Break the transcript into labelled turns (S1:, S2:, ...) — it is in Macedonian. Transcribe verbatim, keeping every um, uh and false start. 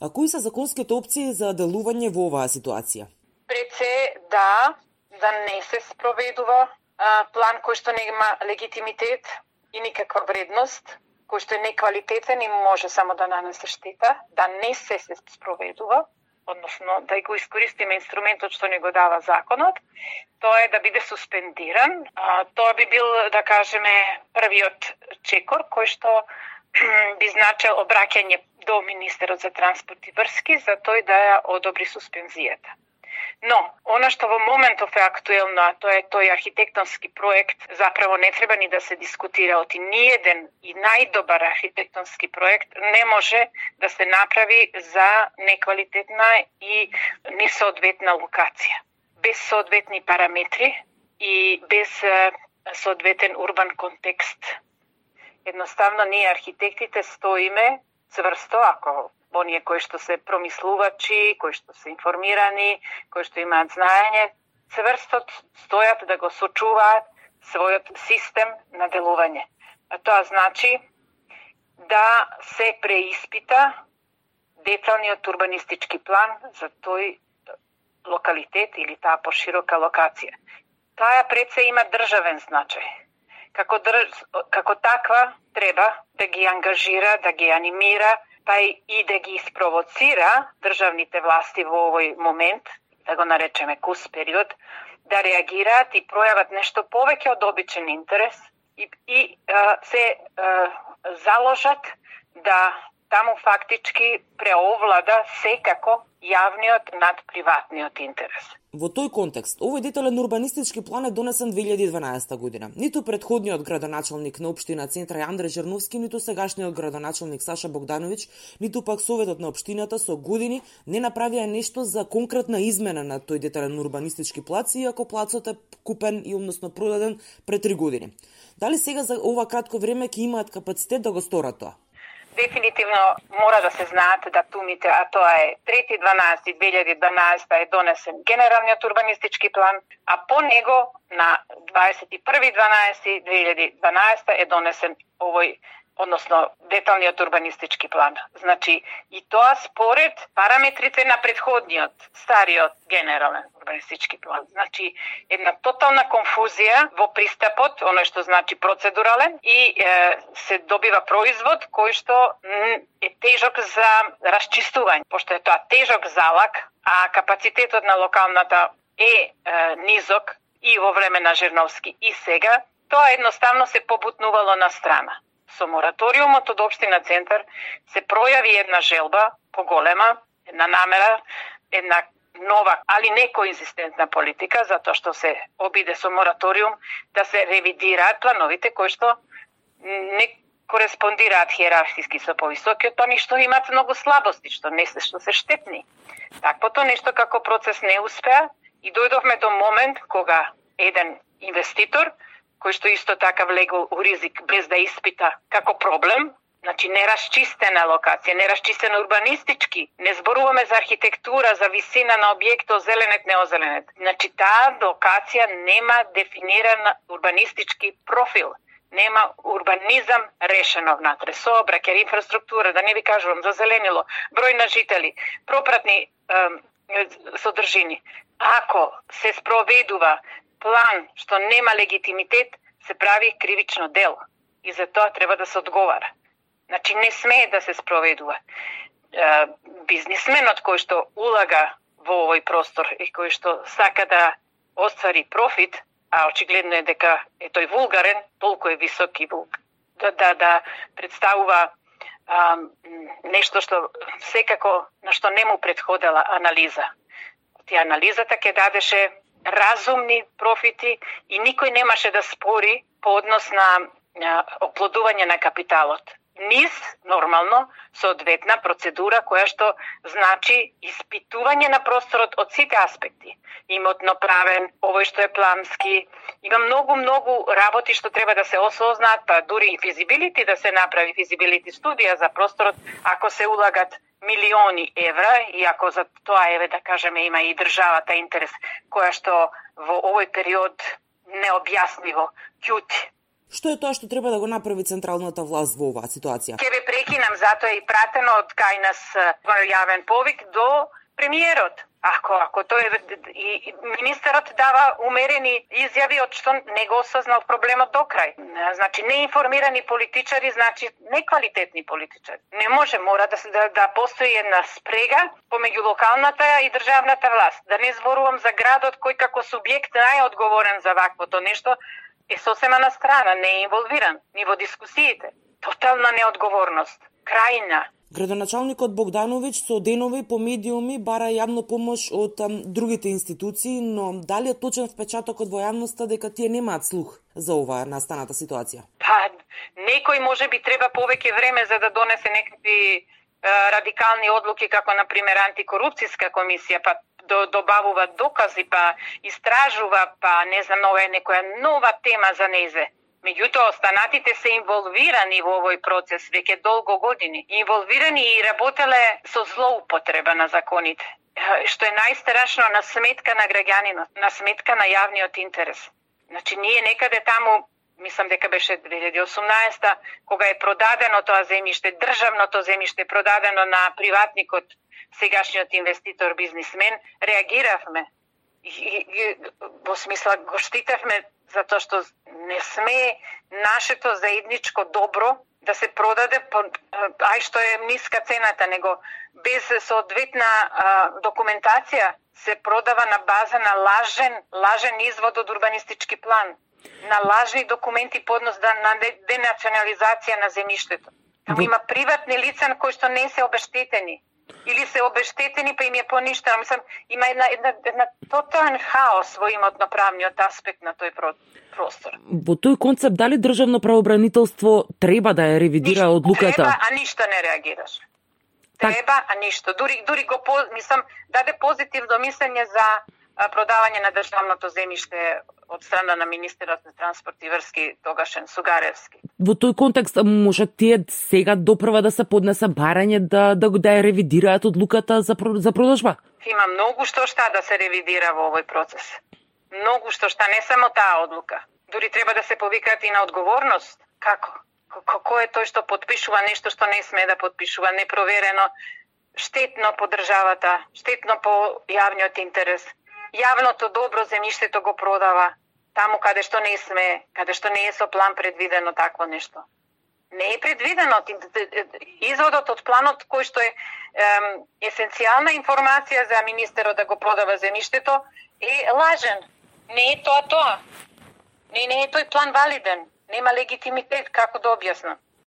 S1: А кои се законските опции за делување во оваа ситуација?
S2: Пред се да, да не се спроведува а, план кој што нема легитимитет и никаква вредност, кој што е неквалитетен и може само да нанесе штета, да не се се спроведува, односно да го искористиме инструментот што ни го дава законот, тоа е да биде суспендиран. А, тоа би бил, да кажеме, првиот чекор кој што би значил обраќање до министерот за транспорт и врски за тој да ја одобри суспензијата. Но, она што во моментов е актуелно, а тоа е тој архитектонски проект, заправо не треба ни да се дискутира, оти ниеден и најдобар архитектонски проект не може да се направи за неквалитетна и несоодветна локација. Без соодветни параметри и без соодветен урбан контекст. Едноставно, ние архитектите стоиме цврсто, ако оние кои што се промислувачи, кои што се информирани, кои што имаат знаење, цврсто стојат да го сочуваат својот систем на делување. А тоа значи да се преиспита деталниот урбанистички план за тој локалитет или таа поширока локација. Таа пред се има државен значај. Како, држ... како таква треба да ги ангажира, да ги анимира, па и да ги испровоцира државните власти во овој момент, да го наречеме кус период, да реагираат и пројават нешто повеќе од обичен интерес и, и а, се а, заложат да таму фактички преовлада секако јавниот над приватниот интерес.
S1: Во тој контекст, овој детален урбанистички план е донесен две илјади и дванаесета година. Ниту претходниот градоначалник на општина Центра Андреј Жерновски, ниту сегашниот градоначалник Саша Богдановиќ, ниту пак Советот на општината со години не направија нешто за конкретна измена на тој детален урбанистички плац, иако плацот е купен и односно продаден пред три години. Дали сега за ова кратко време ќе имаат капацитет да го сторат тоа?
S2: Дефинитивно мора да се знаат датумите, а тоа е трети дванаесети две илјади и дванаесета е донесен генералниот урбанистички план, а по него на дваесет и први дванаесети две илјади и дванаесета е донесен овој, односно деталниот урбанистички план. Значи, и тоа според параметрите на претходниот, стариот генерален урбанистички план. Значи, една тотална конфузија во пристапот, оно што значи процедурален, и е, се добива производ кој што е тежок за расчистување, пошто е тоа тежок залак, а капацитетот на локалната е, е низок и во време на Жерновски и сега, тоа едноставно се побутнувало на страна. Со мораториумот од општина Центар се пројави една желба поголема, една намера, една нова, али не коинзистентна политика, затоа што се обиде со мораториум да се ревидираат плановите кои што не кореспондираат хиерархиски со повисокиот план и што имаат многу слабости, што не се, што се штетни. Таквото нешто како процес не успеа и дојдовме до момент кога еден инвеститор кој што исто така влегол у ризик без да испита како проблем, значи нерасчистена локација, нерасчистена урбанистички, не зборуваме за архитектура, за висина на објектот, зеленет, неозеленет. Значи таа локација нема дефиниран урбанистички профил, нема урбанизам решено внатре, сообраќај, инфраструктура, да не ви кажувам за зеленило, број на жители, пропратни е, содржини. Ако се спроведува план што нема легитимитет, се прави кривично дело и за тоа треба да се одговара. Значи не смее да се спроведува. Е, бизнисменот кој што улага во овој простор и кој што сака да оствари профит, а очигледно е дека е тој вулгарен, толку е висок и вулгарен, да, да, да представува а, нешто што секако на што не му претходела анализа. Тие анализата ќе дадеше разумни профити и никој немаше да спори по однос на а, оплодување на капиталот. Низ, нормално, соодветна процедура која што значи испитување на просторот од сите аспекти. Имотно правен, овој што е плански, има многу, многу работи што треба да се осознаат, па дури и физибилити да се направи физибилити студија за просторот, ако се улагат милиони евра, и ако за тоа, еве да кажеме, има и државата интерес, која што во овој период необјасниво ќути.
S1: Што е тоа што треба да го направи централната власт во оваа ситуација?
S2: Ќе ве прекинам, затоа е и пратено од кај нас јавен повик до премиерот. Ако ако тој и министерот дава умерени изјави од што не го осознал проблемот до крај. Значи неинформирани политичари, значи неквалитетни политичари. Не може, мора да се да, да постои една спрега помеѓу локалната и државната власт. Да не зборувам за градот кој како субјект најодговорен за ваквото нешто е сосема на страна, не е инволвиран ни во дискусиите. Тотална неодговорност. Крајна.
S1: Градоначалникот Богдановиќ со денови по медиуми бара јавно помош од ам, другите институции, но дали е точен впечатокот во јавноста дека тие немаат слух за оваа настаната ситуација?
S2: Па, некој може би треба повеќе време за да донесе некакви е, радикални одлуки, како на пример антикорупцијска комисија, па добавува докази, па истражува, па не знам, ова е некоја нова тема за незе. Меѓутоа, останатите се инволвирани во овој процес веќе долго години. Инволвирани и работеле со злоупотреба на законите. Што е најстрашно, на сметка на граѓанинот, на сметка на јавниот интерес. Значи, ние некаде таму, мислам дека беше две илјади и осумнаесета, кога е продадено тоа земјиште, државното земјиште продадено на приватникот, сегашниот инвеститор, бизнисмен, реагиравме. И, и, и во смисла го штитевме затоа што не сме нашето заедничко добро да се продаде, ај што е ниска цената, него без соодветна а, документација се продава на база на лажен, лажен извод од урбанистички план, на лажни документи по однос на денационализација на земјиштето. Таму има приватни лица кои што не се обештетени. Или се обештетени, па им е поништено. Мислам, има една, една, една тотален хаос во имотно-правниот аспект на тој простор.
S1: Во тој концепт, дали државно правобранителство треба да ја ревидира
S2: ништо,
S1: одлуката?
S2: Треба, а ништо не реагираш. Треба, а ништо. Дури, дури го, мислам, даде позитивно мислење за продавање на државното земјиште од страна на министерот на транспорт и врски тогашен Сугаревски.
S1: Во тој контекст може тие сега допрва да се поднесе барање да да да ја ревидираат одлуката за за продажба?
S2: Има многу што шта да се ревидира во овој процес. Многу што шта, не само таа одлука. Дури треба да се повикаат и на одговорност. Како? Кој е тој што потпишува нешто што не сме да потпишува, непроверено, штетно по државата, штетно по јавниот интерес. Јавното добро земјиштето го продава таму каде што не сме, каде што не е со план предвидено такво нешто. Не е предвидено. Изводот од планот кој што е ем, есенцијална информација за министерот да го продава земјиштето е лажен. Не е тоа тоа. Не, не е тој план валиден. Нема легитимитет, како да објаснам.